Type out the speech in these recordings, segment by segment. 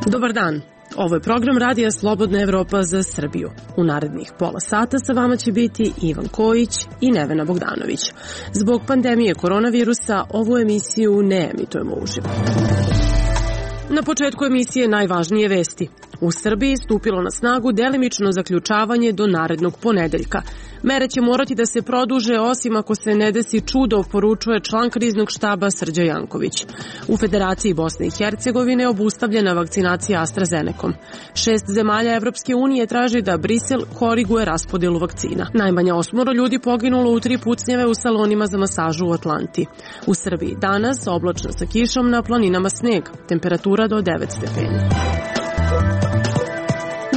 Dobar dan. Ovo je program Radija Slobodna Evropa za Srbiju. U narednih pola sata sa vama će biti Ivan Kojić i Nevena Bogdanović. Zbog pandemije koronavirusa ovu emisiju ne emitujemo uživo. Na početku emisije najvažnije vesti. U Srbiji stupilo na snagu delimično zaključavanje do narednog ponedeljka. Mere će morati da se produže osim ako se ne desi čudo, poručuje član kriznog štaba Srđa Janković. U Federaciji Bosne i Hercegovine obustavljena vakcinacija AstraZenecom. 6 zemalja Evropske unije traži da Brisel koriguje raspodelu vakcina. Najmanje 8 ljudi poginulo u 3 pucnjeve u salonima za masažu u Atlanti. U Srbiji danas oblačno sa kišom, na planinama sneg, temperatura do 9 stepeni.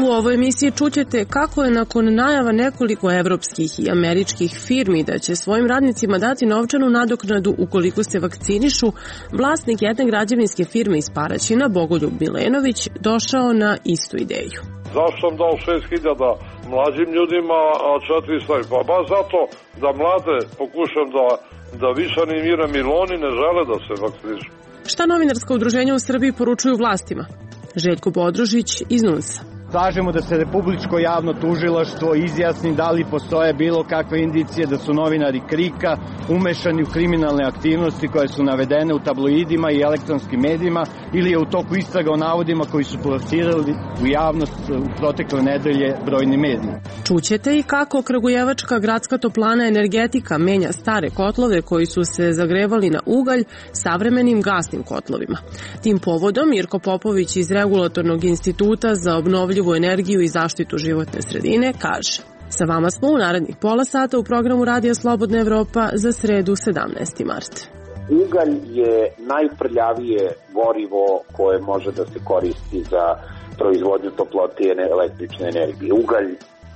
U ovoj emisiji čućete kako je nakon najava nekoliko evropskih i američkih firmi da će svojim radnicima dati novčanu nadoknadu ukoliko se vakcinišu, vlasnik jedne građevinske firme iz Paraćina, Bogoljub Milenović, došao na istu ideju. Zašto sam dao 6.000 mlađim ljudima, a 400? Pa baš zato da mlade pokušam da više animiram, jer oni ne žele da se vakcinišu. Šta novinarska udruženja u Srbiji poručuju vlastima? Željko Bodružić iz NUNS-a. Tražimo da se Republičko javno tužilaštvo izjasni da li postoje bilo kakve indicije da su novinari KRIK-a umešani u kriminalne aktivnosti koje su navedene u tabloidima i elektronskim medijima ili je u toku istraga o navodima koji su plasirali u javnost u protekle nedelje brojni mediji. Čućete i kako Kragujevačka gradska toplana Energetika menja stare kotlove koji su se zagrevali na ugalj savremenim gasnim kotlovima. Tim povodom Mirko Popović iz Regulatornog instituta za obnovljivu energiju i zaštitu životne sredine kaže: sa vama smo u narednih pola sata u programu Radija Slobodna Evropa za sredu 17. mart. Ugalj je najprljavije gorivo koje može da se koristi za proizvodnju toplote i električne energije. Ugalj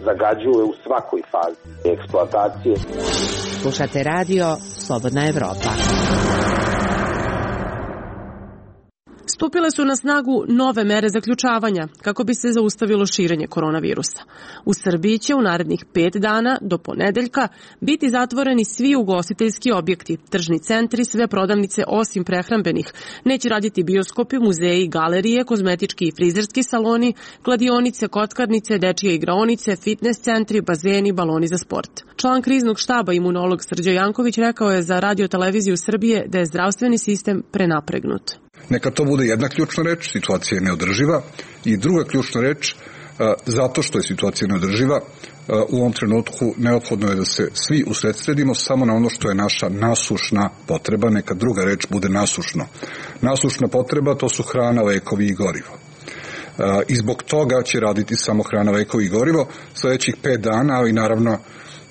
zagađuje u svakoj fazi eksploatacije. Slušate Radio Slobodna Evropa. Stupile su na snagu nove mere zaključavanja kako bi se zaustavilo širenje koronavirusa. U Srbiji će u narednih 5 dana do ponedeljka biti zatvoreni svi ugostiteljski objekti, tržni centri, sve prodavnice osim prehrambenih. Neće raditi bioskopi, muzeji, galerije, kozmetički i frizerski saloni, kladionice, kockarnice, dečije igraonice, fitness centri, bazeni, baloni za sport. Član kriznog štaba imunolog Srđa Janković rekao je za Radio televiziju Srbije da je zdravstveni sistem prenapregnut. Neka to bude jedna ključna reč, situacija je neodrživa, i druga ključna reč, zato što je situacija neodrživa, u ovom trenutku neophodno je da se svi usredsredimo samo na ono što je naša nasušna potreba, neka druga reč bude nasušno. Nasušna potreba, to su hrana, lekovi i gorivo. I zbog toga će raditi samo hrana, lekovi i gorivo sledećih 5 dana, ali naravno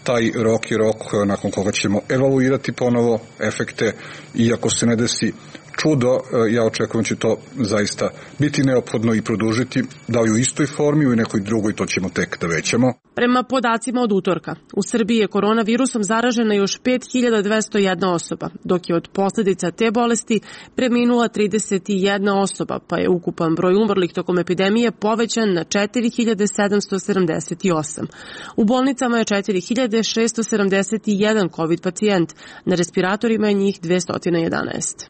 taj rok je rok nakon koga ćemo evaluirati ponovo efekte i ako se ne desi čudo, ja očekujem će to zaista biti neophodno i produžiti, da li u istoj formi ili nekoj drugoj, to ćemo tek da većamo. Prema podacima od utorka, u Srbiji je koronavirusom zaražena još 5201 osoba, dok je od posljedica te bolesti preminula 31 osoba, pa je ukupan broj umrlih tokom epidemije povećan na 4778. U bolnicama je 4671 COVID pacijent, na respiratorima je njih 211.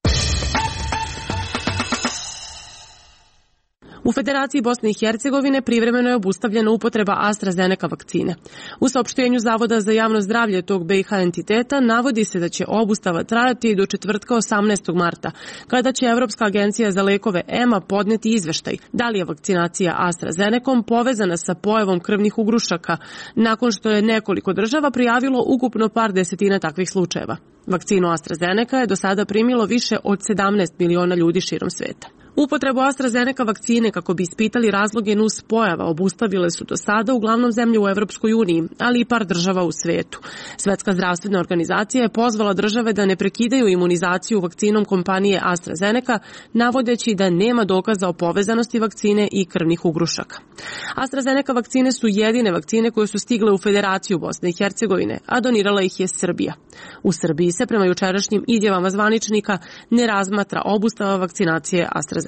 U Federaciji Bosne i Hercegovine privremeno je obustavljena upotreba AstraZeneca vakcine. U saopštenju Zavoda za javno zdravlje tog BiH entiteta navodi se da će obustava trajati do četvrtka 18. marta, kada će Evropska agencija za lekove EMA podneti izveštaj da li je vakcinacija AstraZenecom povezana sa pojavom krvnih ugrušaka, nakon što je nekoliko država prijavilo ukupno par desetina takvih slučajeva. Vakcinu AstraZeneca je do sada primilo više od 17 miliona ljudi širom sveta. Upotrebu AstraZeneca vakcine kako bi ispitali razloge nus pojava obustavile su do sada uglavnom zemlje u Evropskoj uniji, ali i par država u svetu. Svetska zdravstvena organizacija je pozvala države da ne prekidaju imunizaciju vakcinom kompanije AstraZeneca, navodeći da nema dokaza o povezanosti vakcine i krvnih ugrušaka. AstraZeneca vakcine su jedine vakcine koje su stigle u Federaciju Bosne i Hercegovine, a donirala ih je Srbija. U Srbiji se prema jučerašnjim izjavama zvaničnika ne razmatra obustava vakcinacije AstraZeneca.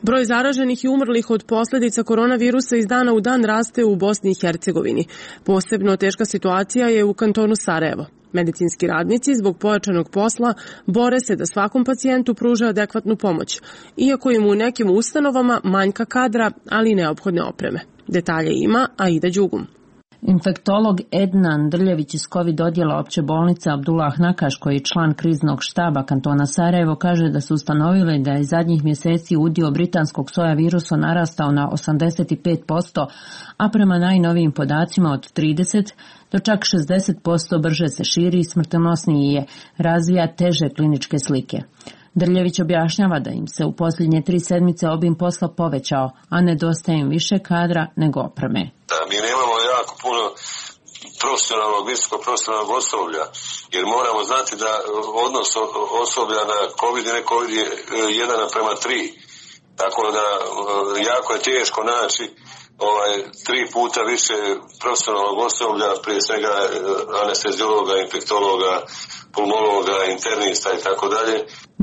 Broj zaraženih i umrlih od posljedica koronavirusa iz dana u dan raste u Bosni i Hercegovini. Posebno teška situacija je u kantonu Sarajevo. Medicinski radnici zbog pojačanog posla bore se da svakom pacijentu pruže adekvatnu pomoć, iako im u nekim ustanovama manjka kadra, ali i neophodne opreme. Detalje ima Aida Đugum. Infektolog Ednan Drljević iz COVID odjela opće bolnice Abdullah Nakaš, koji je član kriznog štaba kantona Sarajevo, kaže da su ustanovili da je zadnjih mjeseci udio britanskog soja virusa narastao na 85%, a prema najnovijim podacima od 30% do čak 60% brže se širi i smrtonosniji je, razvija teže kliničke slike. Drljević objašnjava da im se u posljednje 3 sedmice obim posla povećao, a nedostaje im više kadra nego opreme. Da, mi nemamo jako puno profesionalnog, visoko profesionalnog osoblja, jer moramo znati da odnos osoblja na COVID i ne COVID je 1:3. Tako da jako je teško naći 3 puta više profesionalnog osoblja, prije svega anesteziologa, infektologa, pulmologa, internista i tako dalje.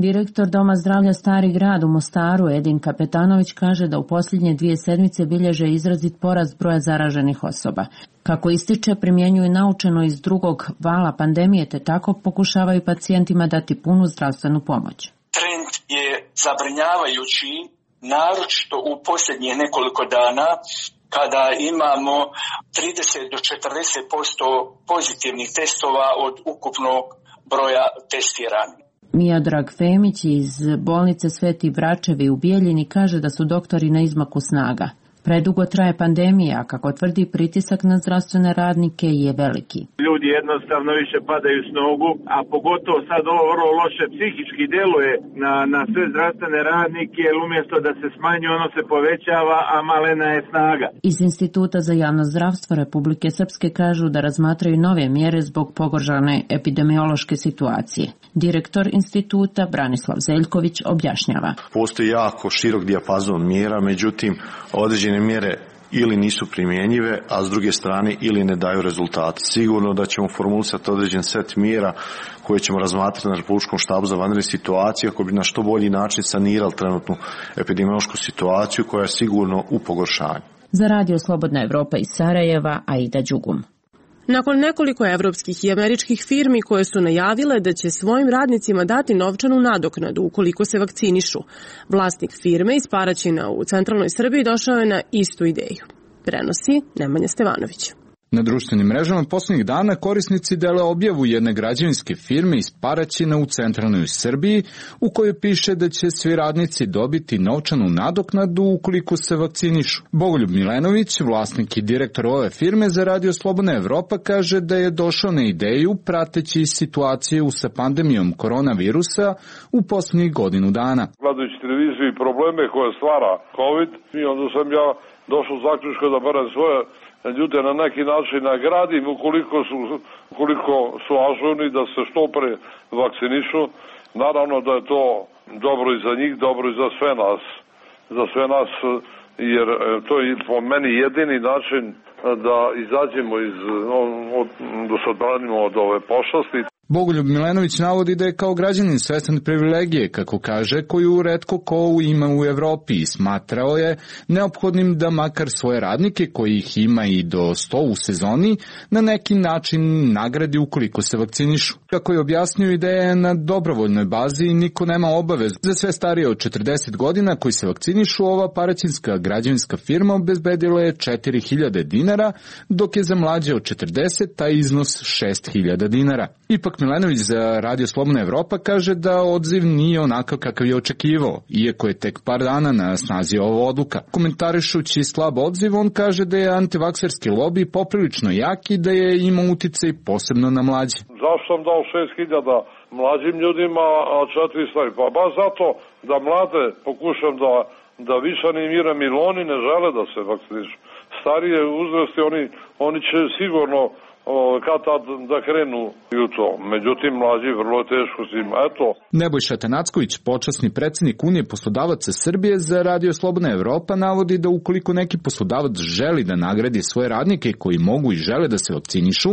Direktor Doma zdravlja Stari grad u Mostaru Edin Kapetanović kaže da u posljednje 2 sedmice bilježe izrazit porast broja zaraženih osoba. Kako ističe, primjenjuju naučeno iz drugog vala pandemije, te tako pokušavaju pacijentima dati punu zdravstvenu pomoć. Trend je zabrinjavajući, naročito u posljednjih nekoliko dana, kada imamo 30 do 40% pozitivnih testova od ukupnog broja testiranih. Miodrag Femić iz bolnice Sveti Vračevi u Bijeljini kaže da su doktori na izmaku snaga. Predugo traje pandemija, a kako tvrdi, pritisak na zdravstvene radnike je veliki. Ljudi jednostavno više padaju s nogu, a pogotovo sad ovo vrlo loše psihički deluje na sve zdravstvene radnike, jer umjesto da se smanji, ono se povećava, a malena je snaga. Iz Instituta za javno zdravstvo Republike Srpske kažu da razmatraju nove mjere zbog pogoršane epidemiološke situacije. Direktor instituta Branislav Zeljković objašnjava. Postoji jako širok dijapazon mjera, međutim određene mjere ili nisu primjenjive, a s druge strane ili ne daju rezultate. Sigurno da ćemo formulisati određen set mjera koje ćemo razmatrati na Republičkom štabu za vanredne situacije kako bi na što bolji način sanirali trenutnu epidemiološku situaciju koja je sigurno u pogoršanju. Za Radio Slobodna Evropa iz Sarajeva, Aida Đugum. Nakon nekoliko evropskih i američkih firmi koje su najavile da će svojim radnicima dati novčanu nadoknadu ukoliko se vakcinišu, vlasnik firme iz Paraćina u centralnoj Srbiji došao je na istu ideju. Prenosi Nemanja Stevanović. Na društvenim mrežama posljednjih dana korisnici dele objavu jedne građevinske firme iz Paraćina u centralnoj Srbiji u kojoj piše da će svi radnici dobiti novčanu nadoknadu ukoliko se vakcinišu. Bogoljub Milenović, vlasnik i direktor ove firme za Radio Slobodna Evropa, kaže da je došao na ideju prateći situaciju sa pandemijom koronavirusa u posljednjih godinu dana. Gledajući televiziju i probleme koje stvara COVID, i onda sam ja došao zaključka da barem svoje ljude na neki način nagradim ukoliko su ažurni da se što pre vakcinišu. Naravno da je to dobro i za njih, dobro i za sve nas, jer to je po meni jedini način da izađemo da se odbranimo od ove pošasti. Bogoljub Milenović navodi da je kao građanin svestan privilegije, kako kaže, koju retko ko ima u Evropi i smatrao je neophodnim da makar svoje radnike, kojih ima i do 100 u sezoni, na neki način nagradi ukoliko se vakcinišu. Kako je objasnio, ideja je na dobrovoljnoj bazi i niko nema obavezu. Za sve starije od 40 godina koji se vakcinišu, ova paraćinska građevinska firma obezbedila je 4.000 dinara, dok je za mlađe od 40 taj iznos 6.000 dinara. Ipak Milenović za Radio Slobodna Evropa kaže da odziv nije onakav kakav je očekivao, iako je tek par dana na snazi ova odluka. Komentarišući slab odziv, on kaže da je antivakserski lobi poprilično jak i da je imao uticaj posebno na mlađe. Zašto sam dao 6.000 mlađim ljudima, a 4 stari? Pa baš zato da mlade pokušam da više animiram, ili oni ne žele da se vakcinišu. Starije uzrasti, oni će sigurno kad tad da krenu u to. Međutim, mlađi vrlo teško s njim. Eto. Nebojša Atanacković, počasni predsjednik Unije poslodavaca Srbije za Radio Slobodna Evropa, navodi da ukoliko neki poslodavac želi da nagradi svoje radnike koji mogu i žele da se vakcinišu,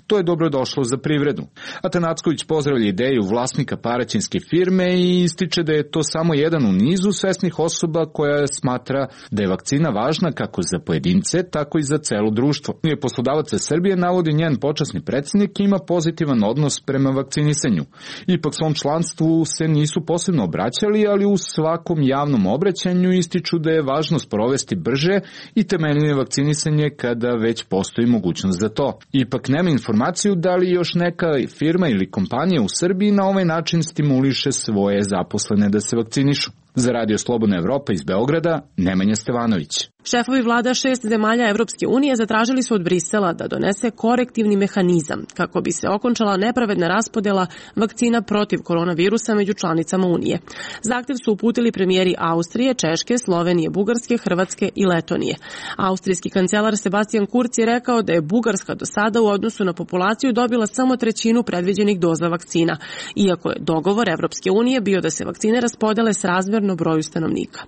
to je dobro došlo za privredu. Atanacković pozdravlja ideju vlasnika paraćinske firme i ističe da je to samo jedan u nizu svesnih osoba koja smatra da je vakcina važna kako za pojedince, tako i za celo društvo. Unije poslodavaca Srbije, navodi njen počasni predsjednik, ima pozitivan odnos prema vakcinisanju. Ipak svom članstvu se nisu posebno obraćali, ali u svakom javnom obraćanju ističu da je važno sprovesti brže i temeljnije vakcinisanje kada već postoji mogućnost za to. Ipak nema informaciju da li još neka firma ili kompanija u Srbiji na ovaj način stimuliše svoje zaposlene da se vakcinišu. Za Radio Slobodna Evropa iz Beograda, Nemanja Stevanović. Šefovi vlada 6 zemalja Evropske unije zatražili su od Brisela da donese korektivni mehanizam kako bi se okončala nepravedna raspodela vakcina protiv koronavirusa među članicama Unije. Zahtev su uputili premijeri Austrije, Češke, Slovenije, Bugarske, Hrvatske i Letonije. Austrijski kancelar Sebastian Kurz je rekao da je Bugarska do sada u odnosu na populaciju dobila samo 1/3 predviđenih doza vakcina, iako je dogovor Evropske unije bio da se vakcine raspodele srazmerno broju stanovnika.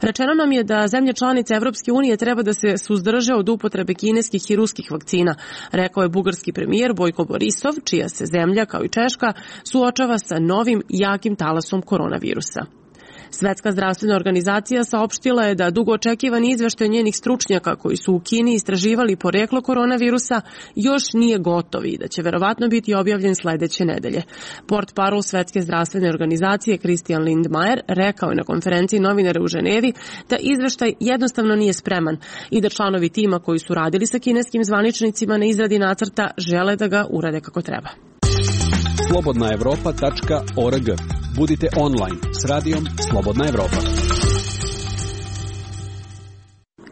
Rečeno nam je da zemlje članice Evropske unije treba da se suzdrže od upotrebe kineskih i ruskih vakcina, rekao je bugarski premijer Bojko Borisov, čija se zemlja, kao i Češka, suočava sa novim jakim talasom koronavirusa. Svetska zdravstvena organizacija saopštila je da dugo očekivani izveštaj njenih stručnjaka koji su u Kini istraživali poreklo koronavirusa još nije gotov i da će verovatno biti objavljen sledeće nedelje. Portparol Svetske zdravstvene organizacije Christian Lindmeier rekao je na konferenciji novinara u Ženevi da izveštaj jednostavno nije spreman i da članovi tima koji su radili sa kineskim zvaničnicima na izradi nacrta žele da ga urade kako treba. slobodnaevropa.org. Budite online s radijom Slobodna Evropa.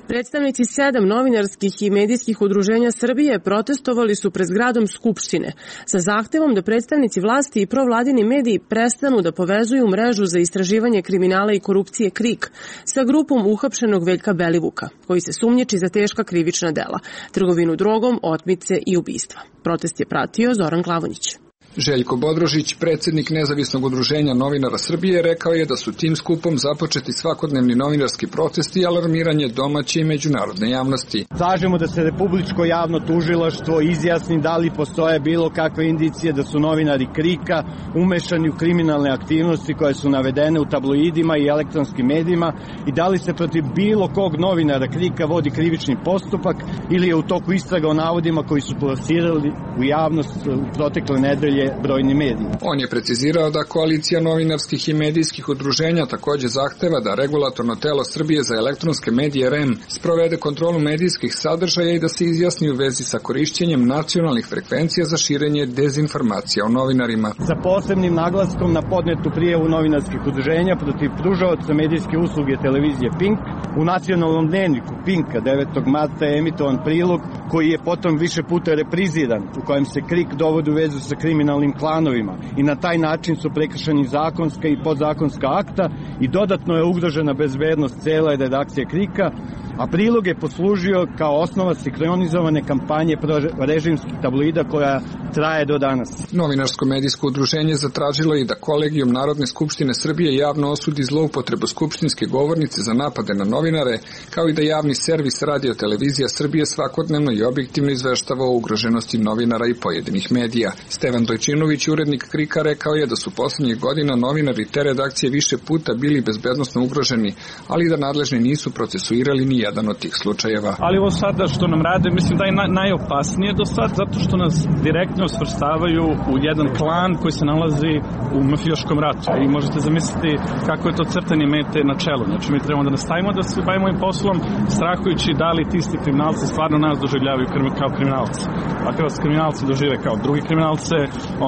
Predstavnici 7 novinarskih i medijskih udruženja Srbije protestovali su pred zgradom Skupštine sa zahtevom da predstavnici vlasti i provladini mediji prestanu da povezuju mrežu za istraživanje kriminala i korupcije KRIK sa grupom uhapšenog Veljka Belivuka, koji se sumnjiči za teška krivična dela, trgovinu drogom, otmice i ubistva. Protest je pratio Zoran Glavonjić. Željko Bodrožić, predsjednik Nezavisnog udruženja novinara Srbije, rekao je da su tim skupom započeti svakodnevni novinarski protesti i alarmiranje domaće i međunarodne javnosti. Tražimo da se Republičko javno tužilaštvo izjasni da li postoje bilo kakve indicije da su novinari KRIK-a umešani u kriminalne aktivnosti koje su navedene u tabloidima i elektronskim medijima i da li se protiv bilo kog novinara KRIK-a vodi krivični postupak ili je u toku istraga o navodima koji su plasirali u javnost u protekle nedelje brojni mediji. On je precizirao da koalicija novinarskih i medijskih udruženja takođe zahteva da regulatorno telo Srbije za elektronske medije REM sprovede kontrolu medijskih sadržaja i da se izjasni u vezi sa korišćenjem nacionalnih frekvencija za širenje dezinformacija o novinarima. Sa posebnim naglaskom na podnetu prijavu novinarskih udruženja protiv pružaoca medijske usluge televizije Pink, u nacionalnom dnevniku Pinka 9. marta je emitovan prilog koji je potom više puta repriziran, u kojem se KRIK dovodi u vezu sa kriminalnim klanovima i na taj način su prekršeni zakonska i podzakonska akta i dodatno je ugrožena bezbednost cele redakcije KRIK-a, a prilog je poslužio kao osnova sinkronizovane kampanje režimskih tabloida koja traje do danas. Novinarsko-medijsko udruženje zatražilo je da Kolegijum Narodne skupštine Srbije javno osudi zloupotrebu skupštinske govornice za napade na novinare, kao i da javni servis Radio Televizija Srbije svakodnevno i objektivno izveštava o ugroženosti novinara i pojedinih medija. Stevan Dojčinović, urednik KRIK-a, rekao je da su poslednjih godina novinari te redakcije više puta bili bezbednosno ugroženi, ali da nadležni nisu procesuirali ni jedan od tih slučajeva. Ali ovo sada što nam rade, mislim da je najopasnije do sad, zato što nas direktno svrstavaju u jedan klan koji se nalazi u mafijaškom ratu. I možete zamisliti kako je to crtanje mete na čelu. Znači mi trebamo da nastavimo da se bavimo ovim poslom, strahujući da li ti isti kriminalci stvarno nas doživljavaju kao kriminalci. Ako vas kriminalci dožive kao drugi kriminalce,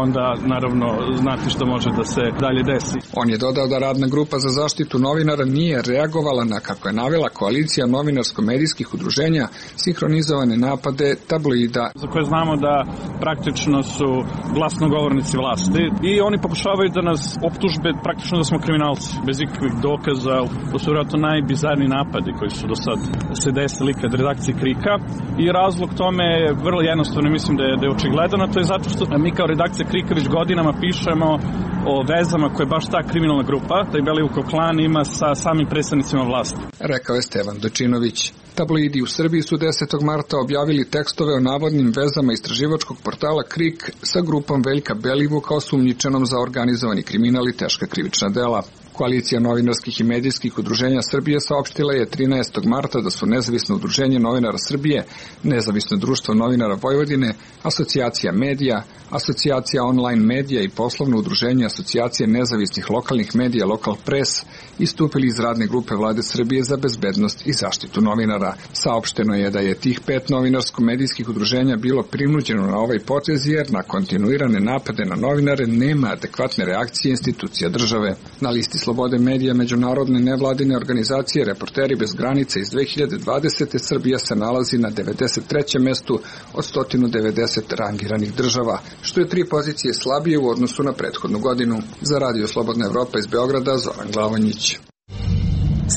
onda naravno znate što može da se dalje desi. On je dodao da radna grupa za zaštitu novinara nije reagovala na, kako je navela, koalicija novinarsko-medijskih udruženja sinhronizovane napade tabloida. Za koje znamo da praktično su glasnogovornici vlasti i oni pokušavaju da nas optužbe praktično da smo kriminalci, bez ikakvih dokaza. To su vjerojatno najbizarniji napadi koji su do sad se desili kad redakcije KRIK-a i razlog tome je vrlo jednostavno ne mislim da je očigledan, a to je zato što mi kao redakcija Krika već godinama pišemo o vezama koje baš ta kriminalna grupa, taj Belivukov klan, ima sa samim predstavnicima vlasti. Rekao je Stevan Dočinović. Tabloidi u Srbiji su 10. marta objavili tekstove o navodnim vezama istraživačkog portala Krik sa grupom Veljka Belivuka osumnjičenom za organizovani kriminal i teška krivična dela. Koalicija novinarskih i medijskih udruženja Srbije saopštila je 13. marta da su Nezavisno udruženje novinara Srbije, Nezavisno društvo novinara Vojvodine, Asocijacija medija, Asocijacija online medija i poslovno udruženje Asocijacije nezavisnih lokalnih medija Lokal Pres istupili iz radne grupe Vlade Srbije za bezbednost i zaštitu novinara. Saopšteno je da je tih 5 novinarsko-medijskih udruženja bilo prinuđeno na ovaj potez jer na kontinuirane napade na novinare nema adekvatne reakcije institucija države. Na listi slobode medija međunarodne nevladine organizacije Reporteri bez granica iz 2020. Srbija se nalazi na 93. mestu od 190 rangiranih država, što je 3 pozicije slabije u odnosu na prethodnu godinu. Za Radio Slobodna Evropa iz Beograda, Zoran Glavonjić.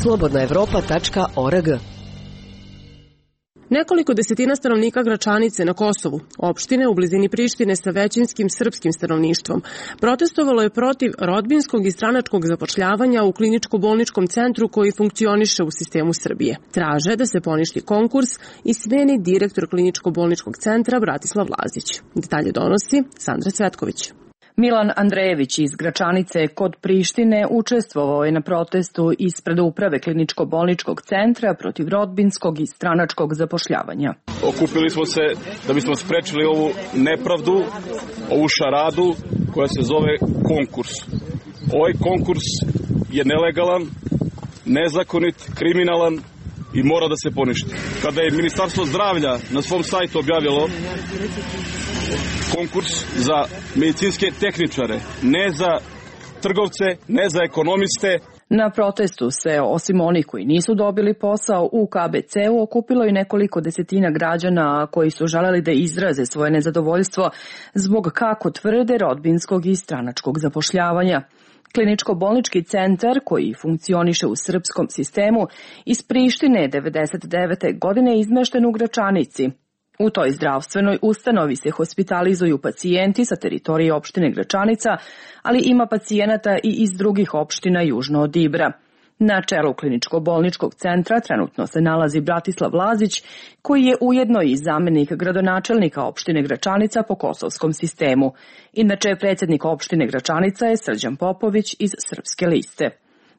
slobodnaevropa.org. Nekoliko desetina stanovnika Gračanice na Kosovu, opštine u blizini Prištine sa većinskim srpskim stanovništvom, protestovalo je protiv rodbinskog i stranačkog zapošljavanja u kliničko-bolničkom centru koji funkcioniše u sistemu Srbije. Traže da se poništi konkurs i smeni direktor kliničko-bolničkog centra Bratislav Lazić. Detalje donosi Sandra Cvetković. Milan Andrejević iz Gračanice kod Prištine učestvovao je na protestu ispred uprave kliničko-bolničkog centra protiv rodbinskog i stranačkog zapošljavanja. Okupili smo se da bismo sprečili ovu nepravdu, ovu šaradu koja se zove konkurs. Ovaj konkurs je nelegalan, nezakonit, kriminalan i mora da se poništi. Kada je Ministarstvo zdravlja na svom sajtu objavilo konkurs za medicinske tehničare, ne za trgovce, ne za ekonomiste. Na protestu se, osim onih koji nisu dobili posao u KBC-u, okupilo i nekoliko desetina građana koji su želeli da izraze svoje nezadovoljstvo zbog, kako tvrde, rodbinskog i stranačkog zapošljavanja. Kliničko-bolnički centar, koji funkcioniše u srpskom sistemu, iz Prištine 1999. godine izmešten u Gračanici. U toj zdravstvenoj ustanovi se hospitalizuju pacijenti sa teritorije opštine Gračanica, ali ima pacijenata i iz drugih opština južno od Ibra. Na čelu kliničko-bolničkog centra trenutno se nalazi Bratislav Lazić, koji je ujedno i zamenik gradonačelnika opštine Gračanica po kosovskom sistemu. Inače, predsjednik opštine Gračanica je Srđan Popović iz Srpske liste.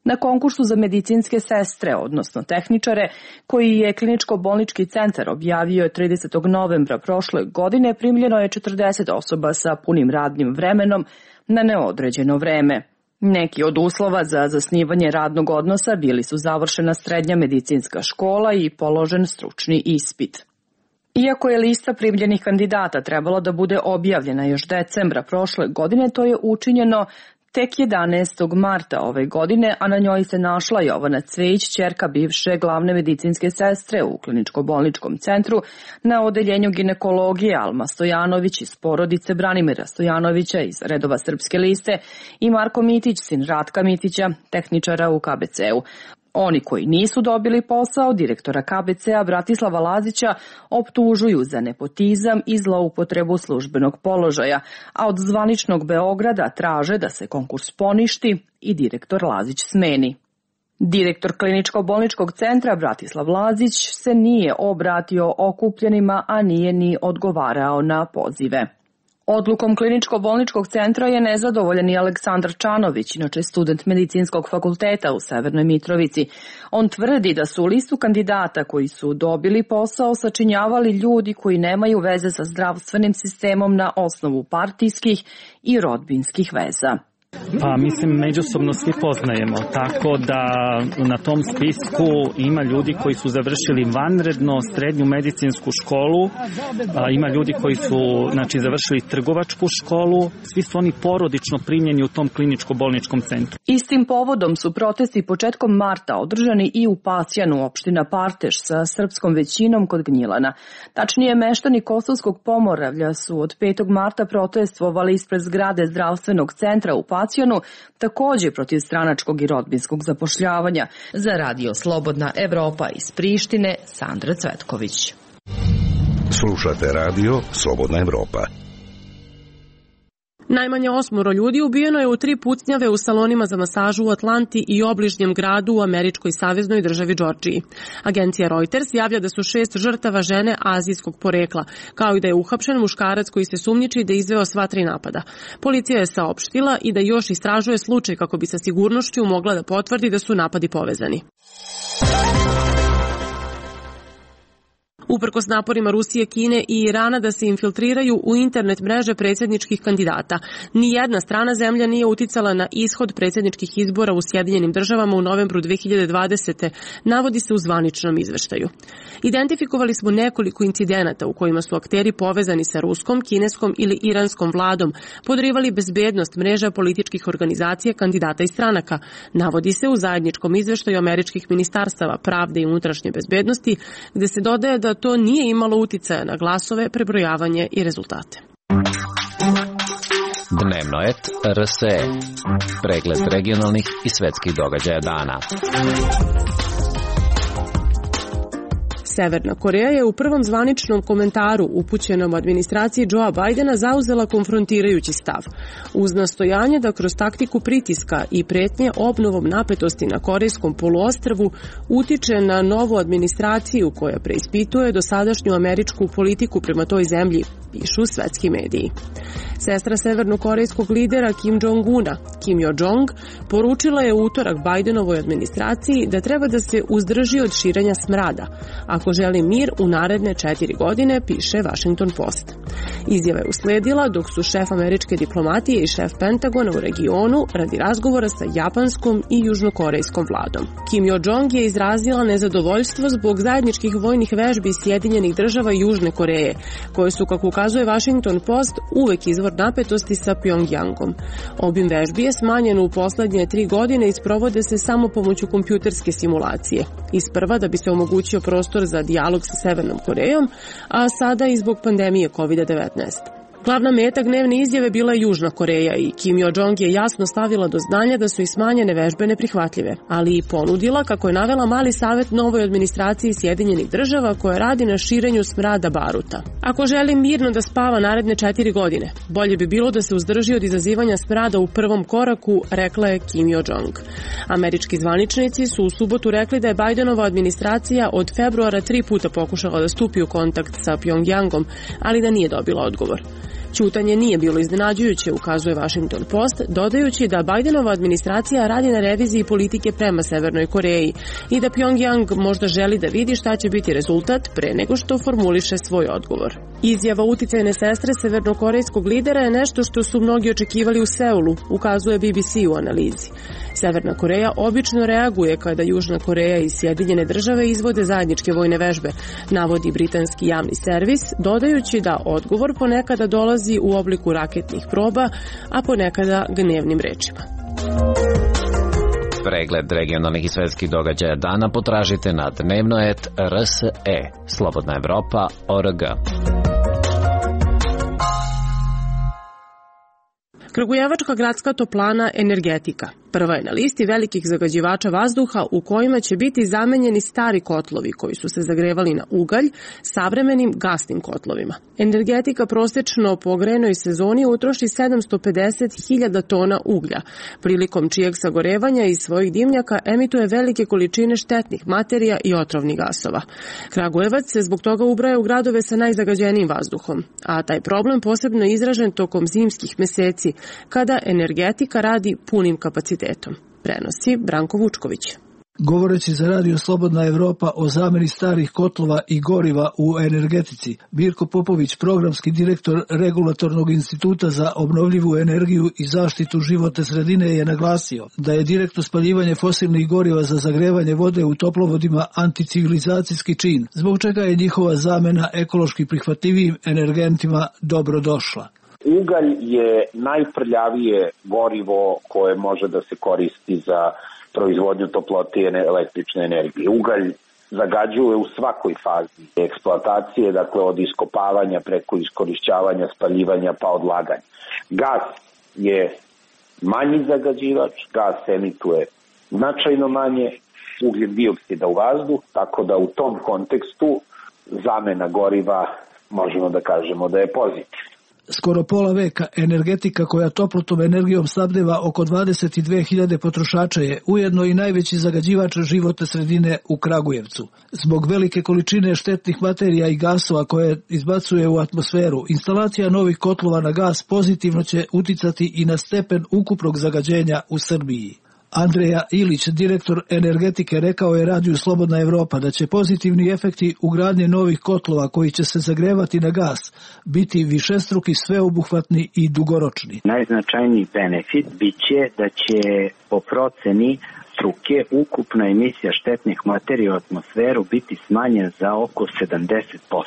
Na konkursu za medicinske sestre, odnosno tehničare, koji je kliničko-bolnički centar objavio 30. novembra prošle godine, primljeno je 40 osoba sa punim radnim vremenom na neodređeno vreme. Neki od uslova za zasnivanje radnog odnosa bili su završena srednja medicinska škola i položen stručni ispit. Iako je lista primljenih kandidata trebalo da bude objavljena još decembra prošle godine, to je učinjeno tek 11. marta ove godine, a na njoj se našla Jovana Cvejić, ćerka bivše glavne medicinske sestre u kliničko-bolničkom centru, na odeljenju ginekologije Alma Stojanović iz porodice Branimira Stojanovića iz redova Srpske liste i Marko Mitić, sin Ratka Mitića, tehničara u KBC-u. Oni koji nisu dobili posao direktora KBC-a Bratislava Lazića optužuju za nepotizam i zloupotrebu službenog položaja, a od zvaničnog Beograda traže da se konkurs poništi i direktor Lazić smeni. Direktor kliničko-bolničkog centra Bratislav Lazić se nije obratio okupljenima, a nije ni odgovarao na pozive. Odlukom kliničko-bolničkog centra je nezadovoljan i Aleksandar Čanović, inače student medicinskog fakulteta u Severnoj Mitrovici. On tvrdi da su listu kandidata koji su dobili posao sačinjavali ljudi koji nemaju veze sa zdravstvenim sistemom na osnovu partijskih i rodbinskih veza. Pa mislim, međusobno svi poznajemo, tako da na tom spisku ima ljudi koji su završili vanredno srednju medicinsku školu, ima ljudi koji su završili trgovačku školu, svi su oni porodično primljeni u tom kliničko-bolničkom centru. Istim povodom su protesti početkom marta održani i u Pasjanu, opština Parteš sa srpskom većinom kod Gnjilana. Tačnije, meštani Kosovskog Pomoravlja su od 5. marta protestvovali ispred zgrade zdravstvenog centra u Pasjanu, također protiv stranačkog i rodbinskog zapošljavanja. Za Radio Slobodna Evropa iz Prištine, Sandra Cvetković. Slušate radio Slobodna Evropa. Najmanje 8 ljudi ubijeno je u 3 pucnjave u salonima za masažu u Atlanti i obližnjem gradu u američkoj saveznoj državi Džordžiji. Agencija Reuters javlja da su 6 žrtava žene azijskog porekla, kao i da je uhapšen muškarac koji se sumnjiči da je izveo sva 3 napada. Policija je saopštila i da još istražuje slučaj kako bi sa sigurnošću mogla da potvrdi da su napadi povezani. Uprkos naporima Rusije, Kine i Irana da se infiltriraju u internet mreže predsjedničkih kandidata, nijedna strana zemlja nije uticala na ishod predsjedničkih izbora u Sjedinjenim državama u novembru 2020. navodi se u zvaničnom izveštaju. Identifikovali smo nekoliko incidenata u kojima su akteri povezani sa ruskom, kineskom ili iranskom vladom podrivali bezbednost mreža političkih organizacija, kandidata i stranaka, navodi se u zajedničkom izveštaju američkih ministarstava pravde i unutrašnje bezbednosti, gde se dodaje da to nije imalo uticaja na glasove, prebrojavanje i rezultate. Dnevnoet RSE. Pregled regionalnih i svetskih događaja dana. Severna Koreja je u prvom zvaničnom komentaru upućenom administraciji Joea Bidena zauzela konfrontirajući stav, uz nastojanje da kroz taktiku pritiska i pretnje obnovom napetosti na Korejskom poluostrvu utiče na novu administraciju koja preispituje dosadašnju američku politiku prema toj zemlji, pišu svetski mediji. Sestra severnokorejskog lidera Kim Jong-una, Kim Yo-jong, poručila je u utorak Bidenovoj administraciji da treba da se uzdrži od širenja smrada, ako želi mir u naredne 4 godine, piše Washington Post. Izjava je usledila dok su šef američke diplomatije i šef Pentagona u regionu radi razgovora sa japanskom i južnokorejskom vladom. Kim Yo-jong je izrazila nezadovoljstvo zbog zajedničkih vojnih vežbi Sjedinjenih država i Južne Koreje, koje su, kako ukazuje Washington Post, uvek izvor napetosti sa Pjongjangom. Obim vežbi je smanjen u poslednje 3 godine i sprovode se samo pomoću kompjuterske simulacije. Isprva da bi se omogućio prostor za dijalog sa Severnom Korejom, a sada i zbog pandemije COVID-19. Glavna meta gnevne izjave bila je Južna Koreja i Kim Yo-jong je jasno stavila do znanja da su i smanjene vežbe neprihvatljive, ali i ponudila, kako je navela, mali savet novoj administraciji Sjedinjenih država koja radi na širenju smrada baruta. Ako želi mirno da spava naredne 4 godine, bolje bi bilo da se uzdrži od izazivanja smrada u prvom koraku, rekla je Kim Yo-jong. Američki zvaničnici su u subotu rekli da je Bidenova administracija od februara 3 puta pokušala da stupi u kontakt sa Pjongjangom, ali da nije dobila odgovor. Ćutanje nije bilo iznenađujuće, ukazuje Washington Post, dodajući da Bidenova administracija radi na reviziji politike prema Severnoj Koreji i da Pjongjang možda želi da vidi šta će biti rezultat pre nego što formuliše svoj odgovor. Izjava uticajne sestre severnokorejskog lidera je nešto što su mnogi očekivali u Seulu, ukazuje BBC u analizi. Severna Koreja obično reaguje kada Južna Koreja i Sjedinjene države izvode zajedničke vojne vežbe, navodi britanski javni servis, dodajući da odgovor ponekada dolazi u obliku raketnih proba, a ponekada gnevnim rečima. Pregled regionalnih i svetskih događaja dana potražite na Dnevnoet RSE, Slobodna Evropa.org. Kragujevačka gradska toplana Energetika prva je na listi velikih zagađivača vazduha u kojima će biti zamenjeni stari kotlovi koji su se zagrevali na ugalj savremenim gasnim kotlovima. Energetika prosečno po grejnoj sezoni utroši 750.000 tona uglja, prilikom čijeg sagorevanja iz svojih dimnjaka emituje velike količine štetnih materija i otrovnih gasova. Kragujevac se zbog toga ubraja u gradove sa najzagađenijim vazduhom, a taj problem posebno je izražen tokom zimskih meseci, kada energetika radi punim kapacitetom. Prenosi Branko Vučković. Govoreći za Radio Slobodna Evropa o zameni starih kotlova i goriva u energetici, Mirko Popović, programski direktor Regulatornog instituta za obnovljivu energiju i zaštitu životne sredine, je naglasio da je direktno spaljivanje fosilnih goriva za zagrevanje vode u toplovodima anticivilizacijski čin, zbog čega je njihova zamena ekološki prihvatljivim energentima dobro došla. Ugalj je najprljavije gorivo koje može da se koristi za proizvodnju toplote i električne energije. Ugalj zagađuje u svakoj fazi eksploatacije, dakle od iskopavanja preko iskorišćavanja, spaljivanja pa odlaganja. Gas je manji zagađivač, gas emituje značajno manje ugljen dioksida u vazduh, tako da u tom kontekstu zamena goriva možemo da kažemo da je pozitiv. Skoro pola veka energetika koja toplotnom energijom snabdeva oko 22.000 potrošača je ujedno i najveći zagađivač životne sredine u Kragujevcu. Zbog velike količine štetnih materija i gasova koje izbacuje u atmosferu, instalacija novih kotlova na gas pozitivno će uticati i na stepen ukupnog zagađenja u Srbiji. Andreja Ilić, direktor energetike, rekao je Radiju Slobodna Evropa da će pozitivni efekti ugradnje novih kotlova koji će se zagrevati na gas biti višestruki, sveobuhvatni i dugoročni. Najznačajniji benefit biće da će po proceni struke ukupna emisija štetnih materija u atmosferu biti smanjen za oko 70%.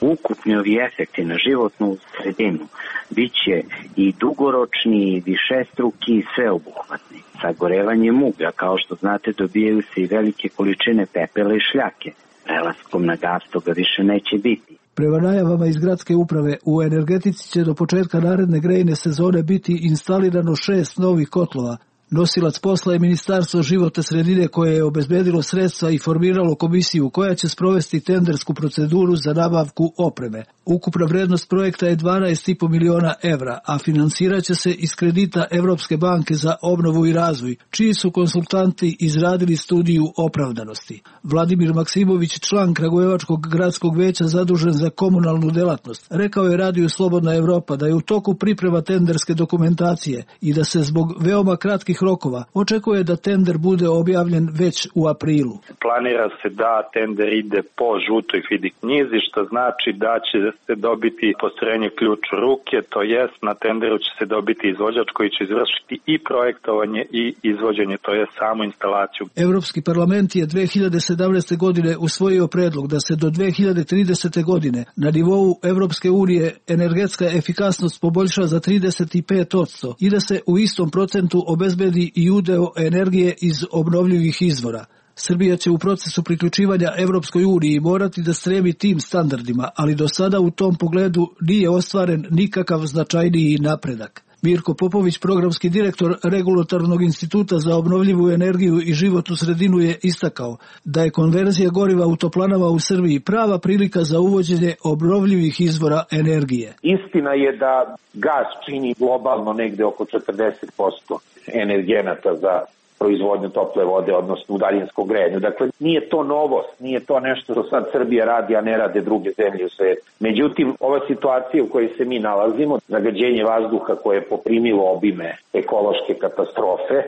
Ukupni ovi efekti na životnu sredinu biće i dugoročni, i višestruki, i sveobuhvatni. Sagorevanjem uglja, kao što znate, dobijaju se i velike količine pepela i šljake. Prelaskom na gas toga više neće biti. Prema najavama iz gradske uprave, u energetici će do početka naredne grejne sezone biti instalirano 6 novih kotlova. Nosilac posla je Ministarstvo životne sredine koje je obezbedilo sredstva i formiralo komisiju koja će sprovesti tendersku proceduru za nabavku opreme. Ukupna vrednost projekta je 12,5 miliona evra, a finansirat će se iz kredita Evropske banke za obnovu i razvoj, čiji su konsultanti izradili studiju opravdanosti. Vladimir Maksimović, član Kragujevačkog gradskog veća zadužen za komunalnu delatnost, rekao je Radiju Slobodna Evropa da je u toku priprema tenderske dokumentacije i da se zbog veoma kratkih rokova očekuje da tender bude objavljen već u aprilu. Planira se da tender ide po žutoj fidi knjizi, što znači da će se dobiti postrojenje ključ u ruke, to jest na tenderu će se dobiti izvođač koji će izvršiti i projektovanje i izvođenje, to je samu instalaciju. Evropski parlament je 2017. godine usvojio predlog da se do 2030. godine na nivou Evropske unije energetska efikasnost poboljša za 35% i da se u istom procentu obezbedi i udeo energije iz obnovljivih izvora. Srbija će u procesu priključivanja Evropskoj uniji morati da stremi tim standardima, ali do sada u tom pogledu nije ostvaren nikakav značajniji napredak. Mirko Popović, programski direktor Regulatornog instituta za obnovljivu energiju i životnu sredinu, je istakao da je konverzija goriva u toplanama u Srbiji prava prilika za uvođenje obnovljivih izvora energije. Istina je da gas čini globalno negde oko 40% energenata za proizvodnju tople vode, odnosno u daljinskom grejanju. Dakle, nije to novost, nije to nešto što sad Srbija radi, a ne rade druge zemlje u svetu. Međutim, ova situacija u kojoj se mi nalazimo, zagađenje vazduha koje je poprimilo obime ekološke katastrofe,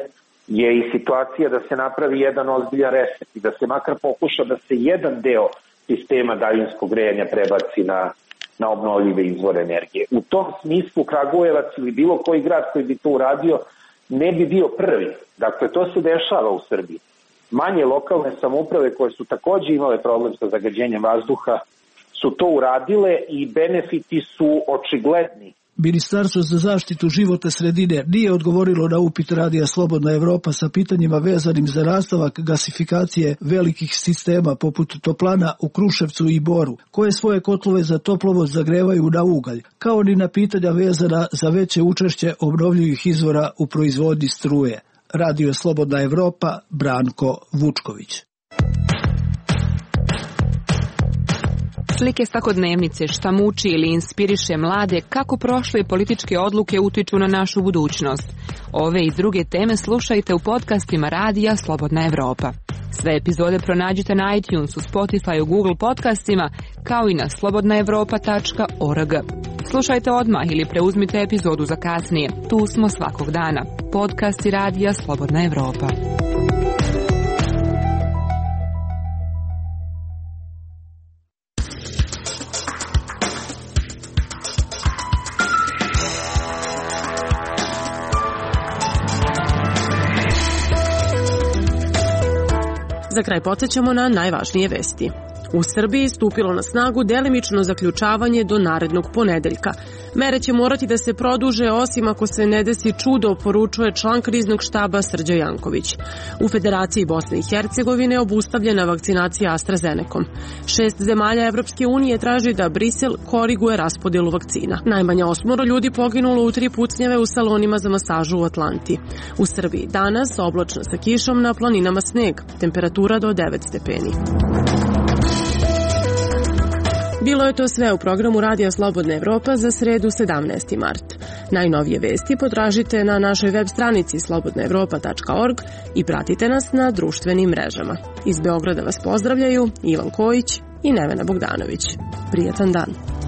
je i situacija da se napravi jedan ozbiljan reset i da se makar pokuša da se jedan deo sistema daljinskog grejanja prebaci na obnovljive izvore energije. U tom smislu Kragujevac ili bilo koji grad koji bi to uradio ne bi bio prvi. Dakle, to se dešava u Srbiji. Manje lokalne samouprave koje su takođe imale problem sa zagađenjem vazduha su to uradile i benefiti su očigledni. Ministarstvo za zaštitu životne sredine nije odgovorilo na upit Radija Slobodna Evropa sa pitanjima vezanim za nastavak gasifikacije velikih sistema poput toplana u Kruševcu i Boru, koje svoje kotlove za toplovod zagrevaju na ugalj, kao ni na pitanja vezana za veće učešće obnovljivih izvora u proizvodnji struje. Radio Slobodna Evropa, Branko Vučković. Slike svakodnevnice, šta muči ili inspiriše mlade, kako prošle političke odluke utiču na našu budućnost. Ove i druge teme slušajte u podcastima Radija Slobodna Evropa. Sve epizode pronađite na iTunesu, Spotify, Google podcastima, kao i na slobodnaevropa.org. Slušajte odmah ili preuzmite epizodu za kasnije. Tu smo svakog dana. Podcasti Radija Slobodna Evropa. Za kraj podsjećamo na najvažnije vesti. U Srbiji stupilo na snagu delimično zaključavanje do narednog ponedeljka. Mere će morati da se produže osim ako se ne desi čudo, poručuje član kriznog štaba Srđan Janković. U Federaciji Bosne i Hercegovine obustavljena vakcinacija AstraZenecom. 6 zemalja Evropske unije traži da Brisel koriguje raspodelu vakcina. Najmanje 8 ljudi poginulo u 3 pucnjave u salonima za masažu u Atlanti. U Srbiji danas oblačno sa kišom, na planinama sneg. Temperatura do 9 stepeni. Bilo je to sve u programu Radija Slobodna Evropa za sredu 17. mart. Najnovije vesti potražite na našoj web stranici slobodnaevropa.org i pratite nas na društvenim mrežama. Iz Beograda vas pozdravljaju Ivan Kojić i Nevena Bogdanović. Prijatan dan.